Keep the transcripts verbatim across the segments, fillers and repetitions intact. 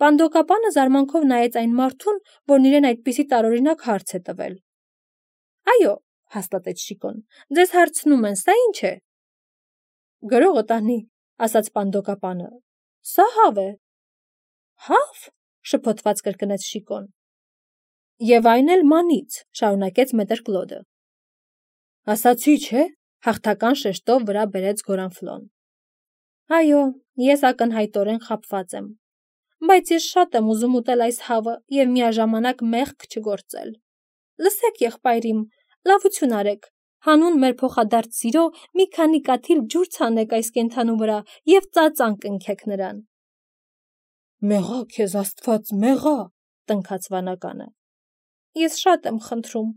Պանդոկապանը զարմանքով նայեց այն մարդուն, որն իրեն այդպիսի տարօրինակ հարց է տվել։ Այո, հաստատեց Շիկոն, ձեզ հարցնում են, սա ինչ է։ Գրողը տանի, ասաց պանդոկապանը, սա հավ է։ Հավ, շփոթված կրկնեց Շիկոն։ Եվ այն էլ մանից, շարունակեց մետր Կլոդը։ Ասացի, չէ, հաղթական շեշտով վրա բերեց Գորանֆլոն։ Այո, ես ակնհայտորեն խաբված եմ, բայց ես շատ եմ ուզում ուտել այս հավը և միաժամանակ մեղք չգործել։ Լսեք, եղբայրիմ, լավություն արեք, հանուն մեր փոխադարձ սիրո մի քանի կաթիլ ջուր ցանեք այս կենդանու վրա և ծածան կնքեք նրան։ Մեղա քեզ Աստված, մեղա, տնքաց վանականը։ Ես շատ եմ խնդրում,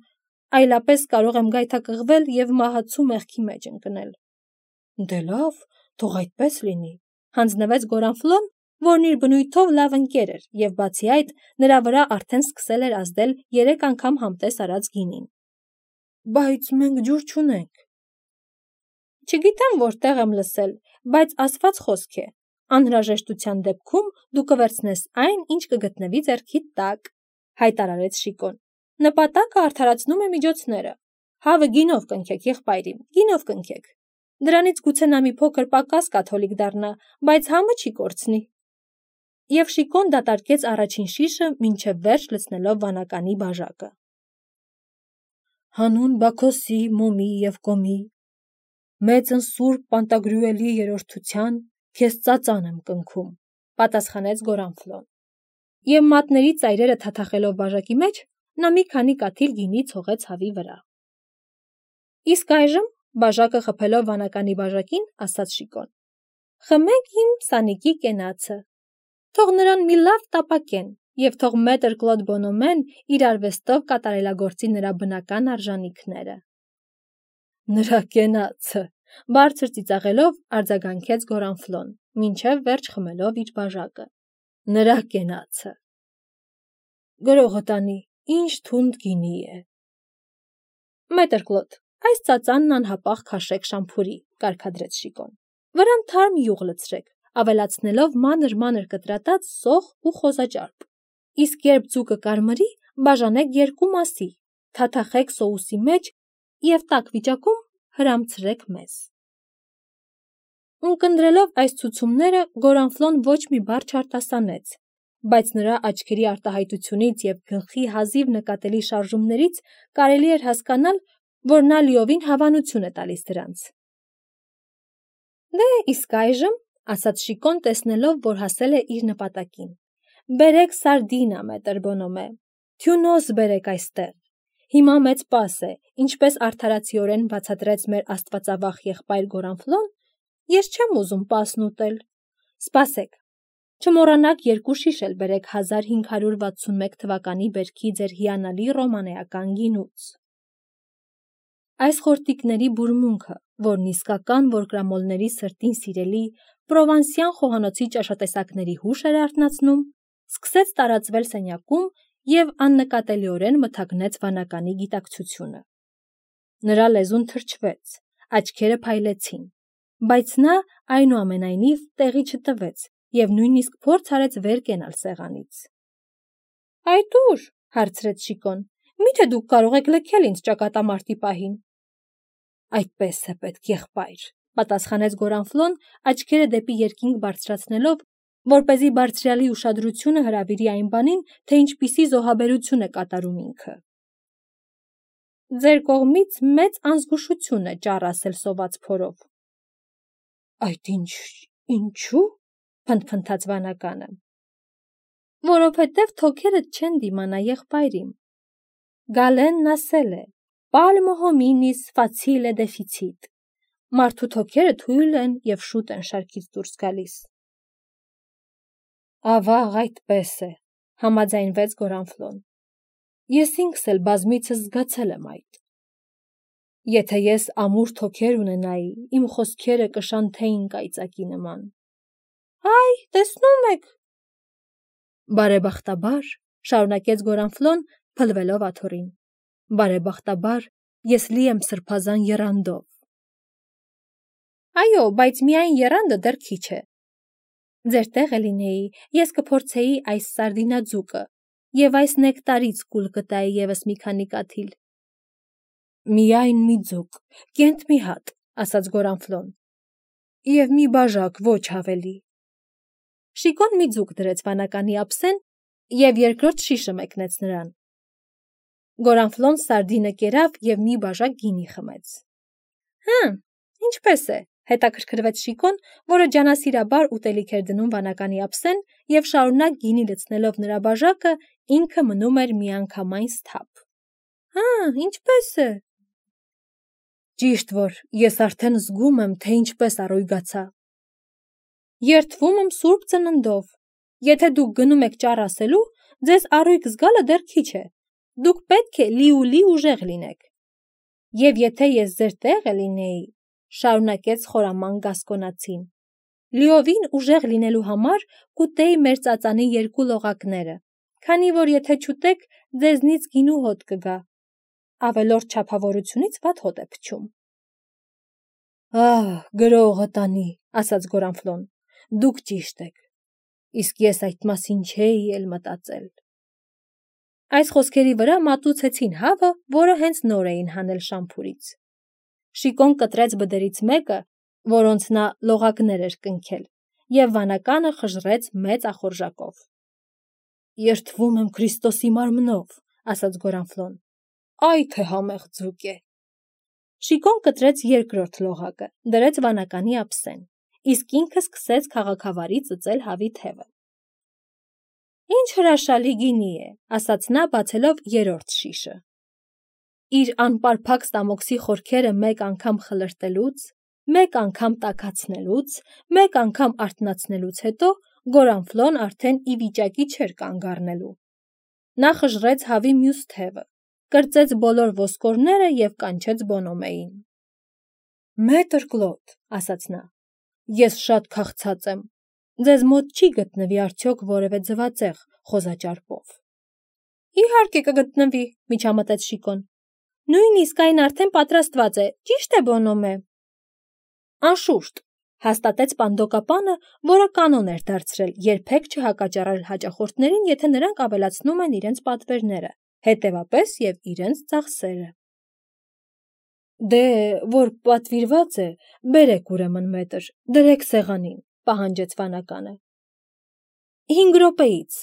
այլապես կարող եմ գայթակղվել և մահացու մեղքի մեջ ընկնել։ Դե լավ, թող այդպես լինի, հանձնվեց Գորանֆլոն, որն իր բնույթով լավ ընկեր էր, և բացի այդ, նրա վրա արդեն սկսել էր ազդել երեք անգամ համտես արած գինին։ Բայց մենք ջուր չունենք։ Չգիտեմ որտեղ եմ լսել, բայց ասված խոսք է, անհրաժեշտության դեպքում դու կվերցնես այն, ինչ կգտնվի ձեռքիդ տակ, հայտարարեց Շիկոն։ Նպատակը արդարացնում է միջոցները։ Հավը գինով կնքեք, եղբայրիմ, գինով կնքեք։ Դրանից գուցե նա մի փոքր պակաս կաթոլիկ դառնա, բայց համը չի կորցնի։ Եվ Շիկոն դատարկեց առաջին շիշը, մինչև վերջ լցնելով վանականի բաժակը։ Հանուն Բաքոսի, Մոմի և Կոմի, մեծն Սուրբ Պանտագրյուելի երրորդության, քեզ ծածան եմ կնքում, պատասխանեց Գորանֆլոն։ Եվ մատների ծայրերը թաթախելով բաժակի մեջ, նա մի քանի կաթիլ գինի ցողեց հավի վրա։ Իսկ այժմ, բաժակը խփելով վանականի բաժակին, ասաց Շիկոն. Խմեք իմ սանիկի կենացը։ Թող նրան մի լավ տապակեն, և թող մետր Կլոդ Բոնոմեն իր արվեստով կատարելագործի նրա բնական արժանիքները։ Նրա կենացը, բարձր ծիծաղելով արձագանքեց Գորանֆլոն, մինչև վերջ խմելով իր բաժակը։ Նրա կենացը։ Գրողը տանի, ինչ թունդ գինի է։ Մետր Կլոդ, այս ծածանն անհապաղ քաշեք շամփուրի, կարգադրեց Շիկոն։ Վրան թարմ յուղ լցրեք, ավելացնելով մանր-մանր կտրատած սոխ ու խոզաճարպ։ Իսկ երբ ձուկը կարմրի, բաժանեք երկու մասի, թաթախեք սոուսի մեջ և տաք վիճակում հրամցրեք մեզ։ Ունկնդրելով այս ցուցումները, Գորանֆլոն ոչ մի բառ չարտասանեց, բայց նրա աչքերի արտահայտությունից և գլխի հազիվ նկատելի շարժումներից կարելի էր հասկանալ, որ նա լիովին հավանություն է տալիս դրանց։ Դե իսկ այժմ, ասաց Շիկոն, տեսնելով, որ հասել է իր նպատակին, բերեք սարդինա, մետր Բոնոմե, թյունոս բերեք այստեղ։ Հիմա մեծ պաս է, ինչպես արդարացիորեն բացատրեց մեր աստվածավախ եղբայր Գորանֆլոն, ես չեմ ուզում պասն ուտել։ Սպասեք, չմոռանաք երկու շիշ էլ բերեք հազար հինգ հարյուր վաթսունմեկ թվականի բերքի ձեր հիանալի ռոմանեական գինուց։ Այս խորտիկների բուրմունքը, որն իսկական որկրամոլների սրտին սիրելի պրովանսյան խոհանոցի ճաշատեսակների հուշ էր արթնացնում, սկսեց տարածվել սենյակում և աննկատելիորեն մթագնեց վանականի գիտակցությունը։ Նրա լեզուն թրջվեց, աչքերը փայլեցին, բայց նա այնուամենայնիվ տեղի չտվեց և նույնիսկ փորձ արեց վեր կենալ սեղանից։ Այդ ո՞ւր, հարցրեց Շիկոն, միթե դուք կարող եք լքել ինձ ճակատամարտի պահին։ Այդպես է պետք, եղբայր, պատասխանեց Գորանֆլոն, աչքերը դեպի երկինք բարձրացնելով, որպեսզի բարձրյալի ուշադրությունը հրավիրի այն բանին, թե ինչպիսի զոհաբերություն է կատարում ինքը։ Ձեր կողմից մեծ անզգուշություն է ճառ ասել սոված փորով։ Այդ ինչ, ինչու՞, փնթփնթաց վանականը։ Որովհետև թոքերդ չեն դիմանա, եղբայրիմ։ Գալենն ասել է. Palmo hominis facile deficit։ Մարդու թոքերը թույլ են և շուտ են շարքից դուրս գալիս։ Ավաղ այդպես է, համաձայնվեց Գորանֆլոն։ Ես ինքս էլ բազմիցս զգացել եմ այդ։ Եթե ես ամուր թոքեր ունենայի, իմ խոսքերը կշանթեին կայծակի նման։ Այ, տեսնում եք։ Բարեբախտաբար, շարունակեց Գորանֆլոն, փլվելով աթոռին։ Բարեբախտաբար, ես լի եմ սրբազան եռանդով։ Այո, բայց միայն եռանդը դեռ քիչ է։ Ձեր տեղը լինեի, ես կփորձեի այս սարդինաձուկը եւ այս նեկտարից կուլ կտայի եւս մի քանի կաթիլ։ Միայն մի ձուկ, կենտ մի հատ, ասաց Գորանֆլոն։ Եվ մի բաժակ, ոչ ավելի։ Շիկոն մի ձուկ դրեց վանականի ափսեն եւ երկրորդ շիշը մեկնեց նրան։ Գորանֆլոն սարդինը կերավ եւ մի բաժակ գինի խմեց։ Հը, ինչպես է, հետաքրքրվեց Շիկոն, որը ջանասիրաբար ուտելիք էր դնում վանականի ափսեն եւ շարունակ գինի լցնելով նրա բաժակը ինքը մնում էր միանգամայն սթափ։ Հա, ինչպես է։ Ճիշտ որ ես արդեն զգում եմ, թե ինչպես առույգացա։ Երդվում եմ սուրբ ծննդով։ Եթե դուք գնում եք ճառ ասելու, ձեզ առույգ զգալը դեռ քիչ է։ Դուք պետք է լի-ու-լի ուժեղ լինեք։ Եվ եթե ես ձեր տեղը լինեի, շարունակեց խորաման գասկոնացին, լիովին ուժեղ լինելու համար կուտեի մեր ծածանի երկու լողակները, քանի որ եթե չուտեք, ձեզնից գինու հոտ կգա։ Ավելորդ չափավորությունից վատ հոտ է փչում։ Ահ, գրողը տանի, ասաց Գորանֆլոն, դուք ճիշտ եք, իսկ ես այդ մասին չէի էլ մտածել։ Այս խոսքերի վրա մատուցեցին հավը, որը հենց նոր էին հանել շամփուրից։ Շիկոն կտրեց բդերից մեկը, որոնց նա լողակներ էր կնքել, եւ վանականը խժռեց մեծ ախորժակով։ Երդվում եմ Քրիստոսի մարմնով, ասաց Գորանֆլոն։ Այ թե համեղ ձուկ է։ Շիկոն կտրեց երկրորդ լողակը, դրեց վանականի ափսեն, իսկ ինքը սկսեց քաղաքավարի ծծել հավի թևը։ Ինչ հրաշալի գինի է, ասաց նա, բացելով երրորդ շիշը։ Իր անպարփակ ստամոքսի խորքերը մեկ անգամ խլրտելուց, մեկ անգամ տաքացնելուց, մեկ անգամ արթնացնելուց հետո Գորանֆլոն արդեն ի վիճակի չէր կանգ առնելու։ Նա խժռեց հավի մյուս թևը, կրծեց բոլոր ոսկորները եւ կանչեց Բոնոմեին։ Մետր Կլոդ, ասաց նա, ես շատ քաղցած եմ։ Ձեզ մոտ չի գտնվի արդյոք որևէ ձվածեղ խոզաճարպով։ Իհարկե կգտնվի, միջամտեց Շիկոն։ Նույնիսկ այն արդեն պատրաստված է, ճիշտ է Բոնոմե։ Անշուշտ, հաստատեց Պանդոկապանը, որը կանոն էր դարձրել երբեք չհակաճառել հաճախորդներին, եթե նրանք ավելացնում են իրենց պատվերները, հետևապես եւ իրենց ծախսերը։ Դե, որ պատվիրված է, բերեք ուրեմն մետր, դրեք սեղանին, պահանջեց վանականը։ Հինգ րոպեից,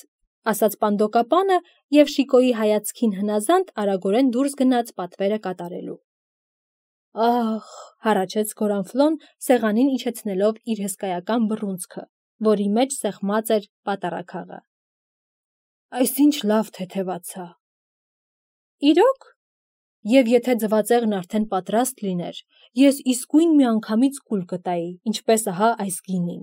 ասաց Պանդոկապանը եւ Շիկոյի հայացքին հնազանդ արագորեն դուրս գնաց պատվերը կատարելու։ Ահ, հառաչեց Գորանֆլոն, սեղանին իջեցնելով իր հսկայական բռունցքը, որի մեջ սեղմած էր պատարագաղը։ Այսինչ լավ թեթևացա։ Իրոք։ Եվ եթե ձվածեղն արդեն պատրաստ լիներ, ես իսկույն միանգամից կուլ կտայի, ինչպես ահա այս գինին։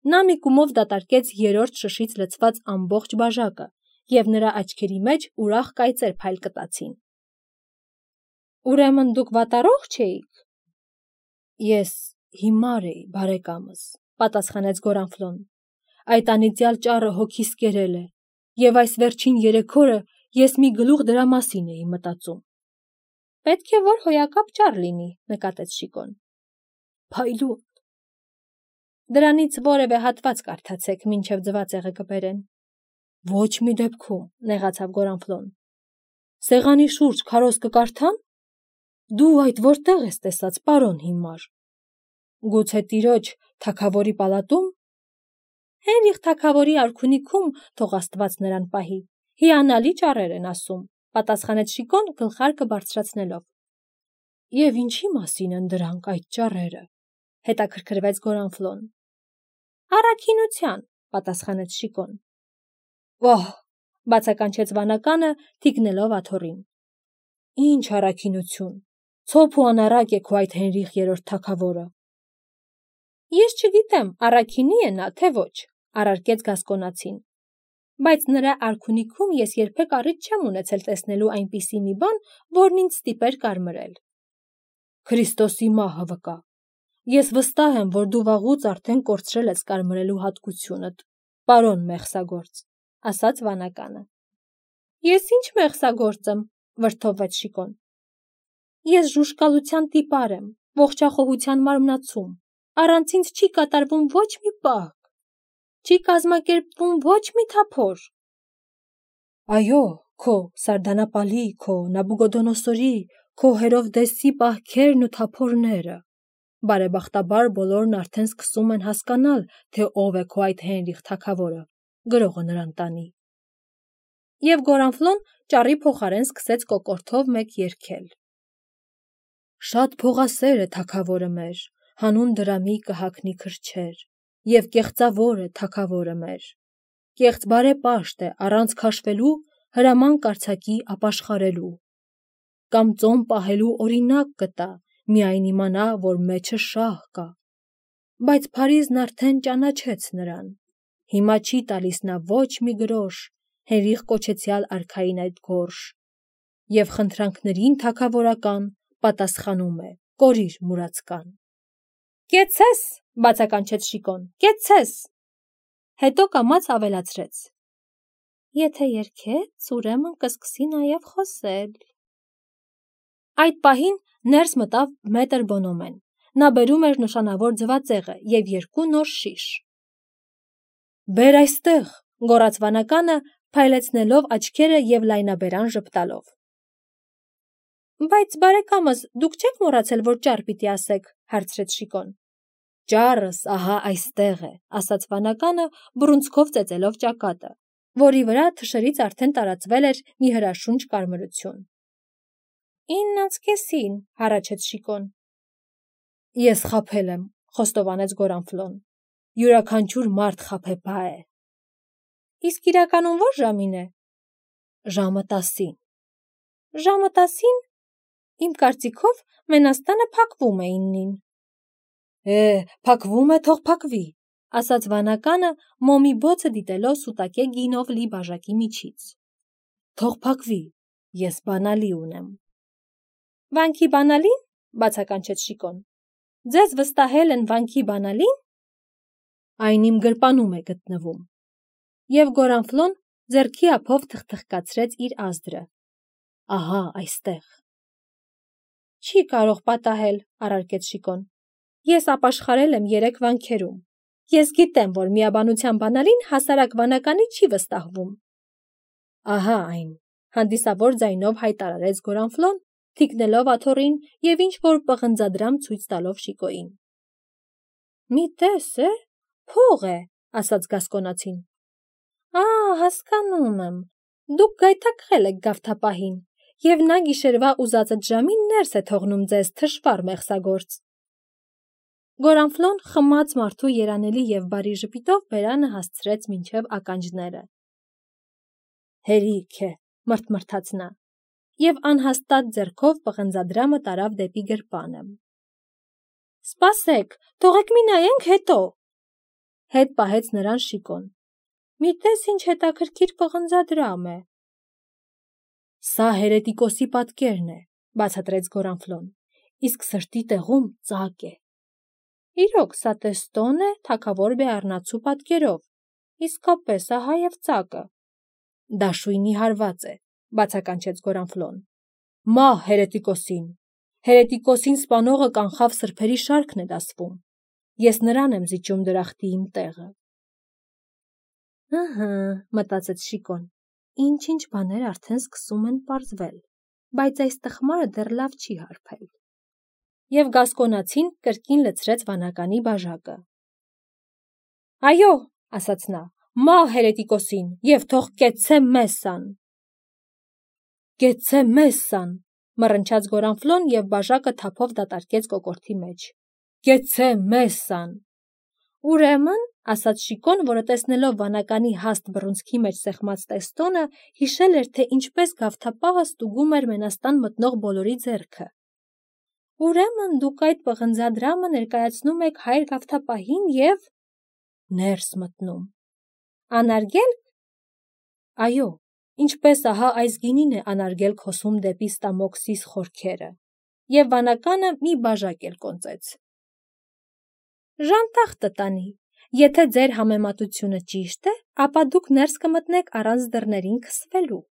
Նա մի կումով դատարկեց երրորդ շշից լցված ամբողջ բաժակը, եւ նրա աչքերի մեջ ուրախ կայծեր փայլ կտացին։ Ուրեմն դուք վատառողջ էիք։ Ես հիմար էի, բարեկամս, պատասխանեց Գորանֆլոն։ Այդ անիծյալ ճառը հոգիս կերել է, եւ այս վերջին երեք օրը ես մի գլուխ դրա մասին էի մտածում։ Պետք է որ հոյակապ ճառ լինի, նկատեց Շիկոն։ Փայլուն։ Դրանից որևէ հատված կարդացեք, մինչև ձվածեղը կբերեն։ Ոչ մի դեպքում, նեղացավ Գորանֆլոն։ Սեղանի շուրջ քարոզ կկարդան։ Դու այդ որտեղ ես տեսած, պարոն հիմար։ Գուցե տիրոջ թագավորի պալատում։ Հենրիխ թագավորի արքունիքում, թող Աստված նրան պահի, հիանալի ճառեր են ասում, պատասխանեց Շիկոն գլխարկը բարձրացնելով։ Եվ ինչի մասին են դրանք այդ ճառերը, հետաքրքրվեց Գորանֆլոն։ Առաքինության, պատասխանեց Շիկոն։ Վահ, բացականչեց վանականը, թիկնելով աթոռին։ Ինչ առաքինություն, ցոփ ու անառակ է քո այդ Հենրիխ երրորդ թագավորը։ Ես չգիտեմ, առաքինի է նա, թե ոչ, առարկեց գասկոնացին։ Բայց նրա արքունիքում ես երբեք առիթ չեմ ունեցել տեսնելու այնպիսի մի բան, որն ինձ ստիպեր կարմրել։ Քրիստոսի մահը վկա։ Ես վստահ եմ, որ դու վաղուց արդեն կորցրել ես կարմրելու հատկությունդ, պարոն մեղսագործ, ասաց վանականը։ Ես ինչ մեղսագործ եմ, վրդովվեց Շիկոն։ Ես ժուժկալության տիպար եմ, ողջախոհության մարմնացում, առանց ինձ չի կատարվում ոչ մի պահ։ չի կազմակերպվում ոչ մի թափոր։ Այո, քո Սարդանապալի, քո Նաբուգոդոնոսորի, քո Հերովդեսի պահքերն ու թափորները։ Բարեբախտաբար բոլորն արդեն սկսում են հասկանալ, թե ով է քո այդ Հենրիխ թագավորը, գրողը նրան տանի։ Եվ Գորանֆլոն ճառի փոխարեն սկսեց կոկորդով մեկ երգել. Շատ փողասեր է թագավորը մեր, հանուն դրամի կհագնի քրչեր, եւ կեղծավոր է թագավորը մեր։ Կեղծ բարեպաշտ է առանց քաշվելու հրաման կարձակի ապաշխարելու։ Կամ ծոմ պահելու օրինակ կտա, միայն իմանա, որ մեջը շահ կա։ Բայց Փարիզն արդեն ճանաչեց նրան։ Հիմա չի տալիս նա ոչ մի գրոշ, Հենրիխ կոչեցյալ արքային այդ գորշ։ Եվ խնդրանքներին թագավորական պատասխանում է կորիր մուրացկան։ Կեցցես, բացականչեց Շիկոն, կեցցես։ Հետո կամաց ավելացրեց. Եթե երգեց, ուրեմն կսկսի նաև խոսել։ Այդ պահին ներս մտավ մետր Բոնոմեն։ Նա բերում էր նշանավոր ձվածեղը և երկու նոր շիշ։ Բեր այստեղ, գոռաց վանականը, փայլեցնելով աչքերը և լայնաբերան ժպտալով։ Բայց բարեկամս, դուք չեք մոռացել, որ ճառ պիտի ասեք, հարցրեց Շիկոն։ Ճառս ահա այստեղ է, ասաց վանականը, բռունցքով ծեծելով ճակատը, որի վրա թշերից արդեն տարածվել էր մի հրաշունչ կարմրություն։ Իննանց կեսին, հառաչեց Շիկոն։ Ես խաբել եմ, խոստովանեց Գորանֆլոն։ Յուրաքանչյուր մարդ խաբեբա է։ Իսկ իրականում ո՞ր ժամին է։ Ժամը տասին։ Ժամը տասին։ Իմ կարծիքով մենաստանը փակվում է իննին։ Է, փակվում է, թող փակվի, ասաց վանականը, մոմի բոցը դիտելով սուտակե գինով լի բաժակի միջից։ Թող փակվի, ես բանալի ունեմ։ Վանքի բանալին, բացականչեց Շիկոն։ Ձեզ վստահել են վանքի բանալին։ Այն իմ գրպանում է գտնվում։ Եվ Գորանֆլոն ձեռքի ափով թխթխկացրեց իր ազդրը։ Ահա այստեղ։ Չի կարող պատահել, առարկեց Շիկոն։ Ես ապաշխարել եմ երեք վանքերում։ Ես գիտեմ, որ միաբանության բանալին հասարակ վանականի չի վստահվում։ Ահա այն, հանդիսավոր ձայնով հայտարարեց Գորանֆլոն, թիկնելով աթոռին և ինչ-որ պղնձադրամ ցույց տալով Շիկոյին։ Մի տես է, փող է, ասաց Գասկոնացին։ Ա, հասկանում եմ, դուք գայթակղել եք գավթապահին, և նա գիշերվա ուզածդ ժամին ներս է թողնում ձեզ թշվառ մեղսագործ։ Գորանֆլոն խմած մարդու երանելի և բարի ժպիտով բերանը հասցրեց մինչև ականջները։ Հերիք է, մրթմրթաց նա, և անհաստատ ձեռքով պղնձադրամը տարավ դեպի գրպանը։ Սպասեք, թողեք մի նայենք հետո։ Հետ պահեց նրան Շիկոն։ Մի տես ինչ հետաքրքիր պղնձադրամ է։ Սա Հերետիկոսի պատկերն է, բացատրեց Գորանֆլոն, իսկ սրտի տեղում ծակ է։ Իրոք, սա տեստոն է թագավոր Բեառնացու պատկերով, իսկապես ահա և ծակը։ Դաշույնի հարված է, բացականչեց Գորանֆլոն։ Մահ Հերետիկոսին։ Հերետիկոսին սպանողը կանխավ սրբերի շարքն է դասվում։ Ես նրան եմ զիջում դրախտի իմ տեղը։ Ըհը, մտածեց Շիկոն, ինչ-ինչ բաներ արդեն սկսում են պարզվել, բայց այս տխմարը դեռ լավ չի հարբել։ Եվ Գասկոնացին կրկին լցրեց վանականի բաժակը։ Այո, ասաց նա, մահ Հերետիկոսին, և թող կեցցե Մեսսան։ Կեցցե Մեսսան, մռնչաց Գորանֆլոն և բաժակը թափով դատարկեց կոկորդի մեջ։ Կեցցե Մեսսան։ Ուրեմն, ասաց Շիկոն, որը տեսնելով վանականի հաստ բռունցքի մեջ սեղմած տեստոնը, հիշել էր, թե ինչպես գավթապահը ստուգում էր մենաստան մտնող բոլորի ձեռքը։ Ուրեմն դուք այդ պղնձադրամը ներկայացնում եք հայր գավթապահին և… ներս մտնում։ Անարգել։ Այո, ինչպես ահա այս գինին է անարգել հոսում դեպի Ստամոքսիս խորքերը, և վանականը մի բաժակ էլ կոնծեց։ Ժանտախտը տանի, եթե ձեր համեմատությունը ճիշտ է, ապա դուք ներս կմտնեք առանց դռներին քսվելու։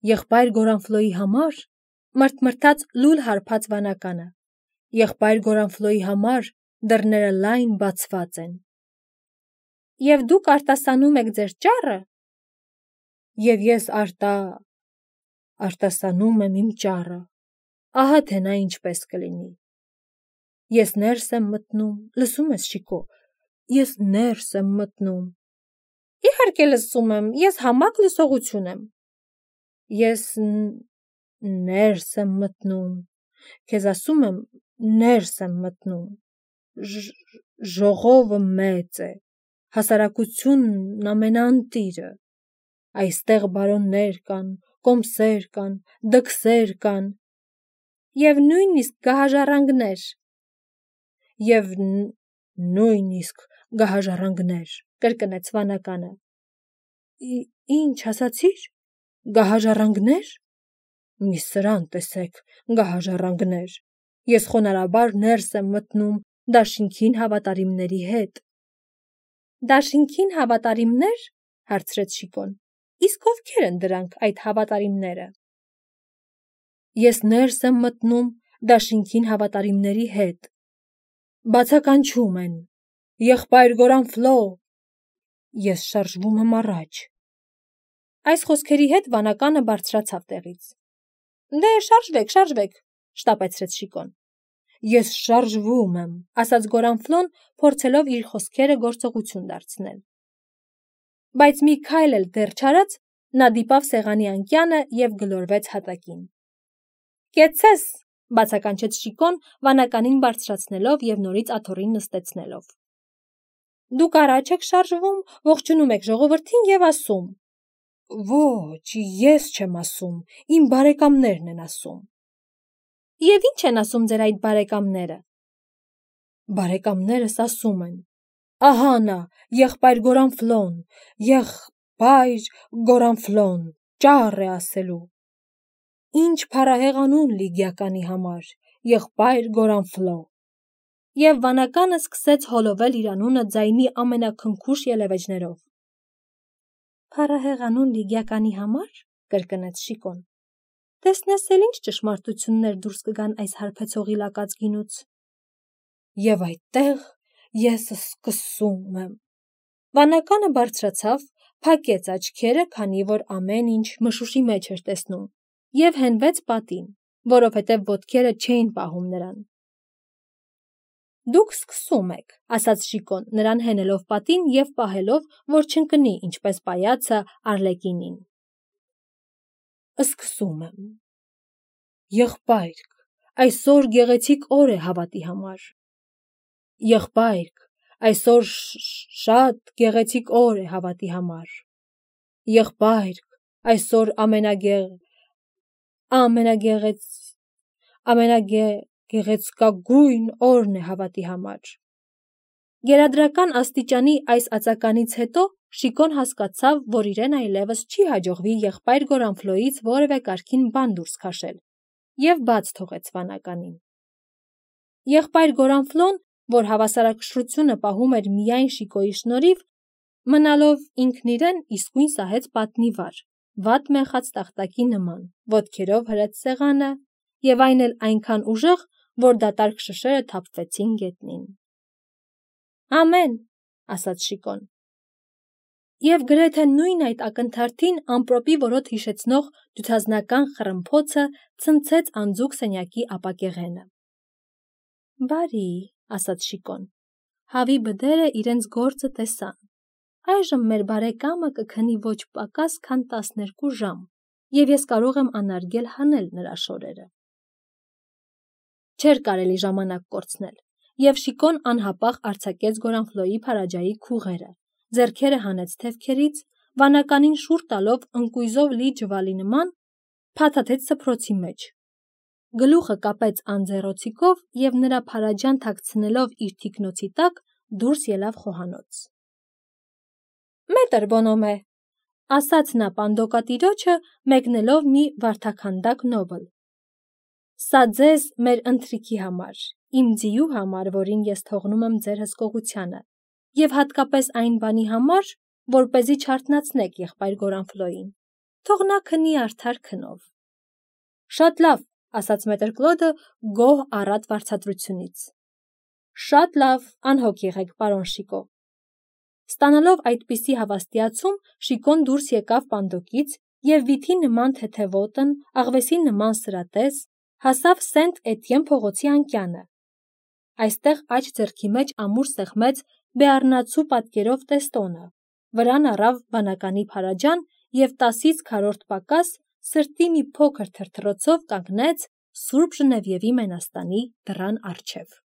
Եղբայր Գորանֆլոյի համար, մրթմրթաց լուլ հարբած վանականը, եղբայր Գորանֆլոյի համար դռները լայն բացված են։ Եվ դուք արտասանում եք ձեր ճառը։ Եվ ես արտա արտասանում եմ իմ ճառը։ Ահա թե նա ինչպես կլինի։ Ես ներս եմ մտնում, լսում ես, Շիկո, ես ներս եմ մտնում։ Իհարկե լսում եմ, ես համակ լսողություն եմ։ Ես ներս եմ մտնում, քեզ ասում եմ, ներս եմ մտնում։ Ժողովը մեծ է, հասարակությունն ամենաընտիրը։ Այստեղ բարոններ կան, կոմսեր կան, դքսեր կան, և նույնիսկ գահաժառանգներ։ Եվ նույնիսկ գահաժառանգներ, կրկնեց վանականը։ Ինչ ասացիր, գահաժառանգներ։ Մի սրան տեսեք, գահաժառանգներ։ Ես խոնարհաբար ներս եմ մտնում դաշինքին հավատարիմների հետ։ Դաշինքին հավատարիմնե՞ր, հարցրեց Շիկոն։ Իսկ ովքեր են դրանք այդ հավատարիմները։ Ես ներս եմ մտնում դաշինքին հավատարիմների հետ։ Բացականչում են. եղբայր Գորանֆլո։ Ես շարժվում եմ առաջ։ Այս խոսքերի հետ վանականը բարձրացավ տեղից։ Դե շարժվեք, շարժվեք, շտապեցրեց Շիկոն։ Ես շարժվում եմ, ասաց Գորանֆլոն, փորձելով իր խոսքերը գործողություն դարձնել։ Բայց մի քայլ էլ դեռ չարած, նա դիպավ սեղանի անկյանը և գլորվեց հատակին։ Կեցցես, բացականչեց Շիկոն, վանականին բարձրացնելով և նորից աթոռին նստեցնելով։ Դուք առաջ եք շարժվում, ողջունում եք ժողովրդին և ասում. Ոչ, ես չեմ ասում, իմ բարեկամներն են ասում։ Եվ ինչ են ասում ձեր այդ բարեկամները։ Բարեկամներս ասում են. ահա նա, եղբայր Գորանֆլոն, եղբայր Գորանֆլոն, ճառ է ասելու։ Ինչ փառահեղ անուն Լիգիականի համար, եղբայր Գորանֆլո։ Եվ վանականը սկսեց հոլովել իր անունը ձայնի ամենաքնքուշ ելևէջներով։ Փառահեղ անուն Լիգիականի համար, կրկնեց Շիկոն։ Տեսնես էլ ինչ ճշմարտություններ դուրս կգան այս հարբեցողի լակած գինուց։ Եվ այդտեղ ես սկսում եմ։ Վանականը բարձրացավ, փակեց աչքերը, քանի որ ամեն ինչ մշուշի մեջ էր տեսնում, և հենվեց պատին, որովհետև ոտքերը չէին պահում նրան։ Դուք սկսում եք, ասաց Շիկոն, նրան հենելով պատին և պահելով, որ չընկնի, ինչպես պայացը Արլեկինին։ Սկսում եմ։ Եղբայրք, այսօր գեղեցիկ օր է հավատի համար։ Եղբայրք, այսօր շատ գեղեցիկ օր է հավատի համար։ Եղբայրք, այսօր ամենագեղ ամենագեղեց ամենագեղեցկագույն օրն է հավատի համար։ Գերադրական աստիճանի այս ածականից հետո Շիկոն հասկացավ, որ իրեն այլևս չի հաջողվի եղբայր Գորանֆլոյից որևէ կարգին բան դուրս քաշել, և բաց թողեց վանականին։ Եղբայր Գորանֆլոն, որ հավասարակշռությունը պահում էր միայն Շիկոյի շնորհիվ, մնալով ինքն իրեն իսկույն սահեց պատնի վար, վատ մեխած տախտակի նման, ոտքերով հրեց սեղանը, և այն էլ այնքան ուժեղ, որ դատարկ շշերը թափվեցին գետնին։ Ամեն, ասաց Շիկոն։ Եվ գրեթե նույն այդ ակնթարթին ամպրոպի որոտ հիշեցնող դյուցազնական խռմփոցը ցնցեց անձուկ սենյակի ապակեղենը։ Բարի, ասաց Շիկոն, հավի բդերը իրենց գործը տեսան։ Այժմ մեր բարեկամը կքնի ոչ պակաս քան տասներկու ժամ, և ես կարող եմ անարգել հանել նրա շորերը։ Չէր կարելի ժամանակ կորցնել, և Շիկոն անհապաղ արձակեց Գորանֆլոյի փարաջայի քուղերը, ձեռքերը հանեց թևքերից, վանականին շուռ տալով ընկույզով լի ջվալի նման, փաթաթեց սփռոցի մեջ, գլուխը կապեց անձեռոցիկով և նրա փարաջան թաքցնելով իր թիկնոցի տակ, դուրս ելավ խոհանոց։ Մետր Բոնոմե, ասաց նա պանդոկատիրոջը, մեկնելով մի վարդաքանդակ նոբլ։ Սա ձեզ մեր ընթրիքի համար, իմ ձիու համար, որին ես թողնում եմ ձեր հսկողությանը, և հատկապես այն բանի համար, որպեսզի չարթնացնեք եղբայր Գորանֆլոյին, թող նա քնի արդար քնով։ Շատ լավ, ասաց մետր Կլոդը գոհ առատ վարձատրությունից։ Շատ լավ, անհոգ եղեք, պարոն Շիկո։ Ստանալով այդպիսի հավաստիացում, Շիկոն դուրս եկավ պանդոկից և վիթի նման թեթևոտն, աղվեսի նման սրատես, հասավ Սենտ Էտիեն փողոցի անկյանը։ Այստեղ աջ ձեռքի մեջ ամուր սեղմեց բեառնացու պատկերով տեստոնը, վրան առավ բանականի փարաջան և տասից քառորդ պակաս սրտի մի փոքր թրթռոցով կանգնեց Սուրբ Ժնևիևի մենաստանի դռան առջև։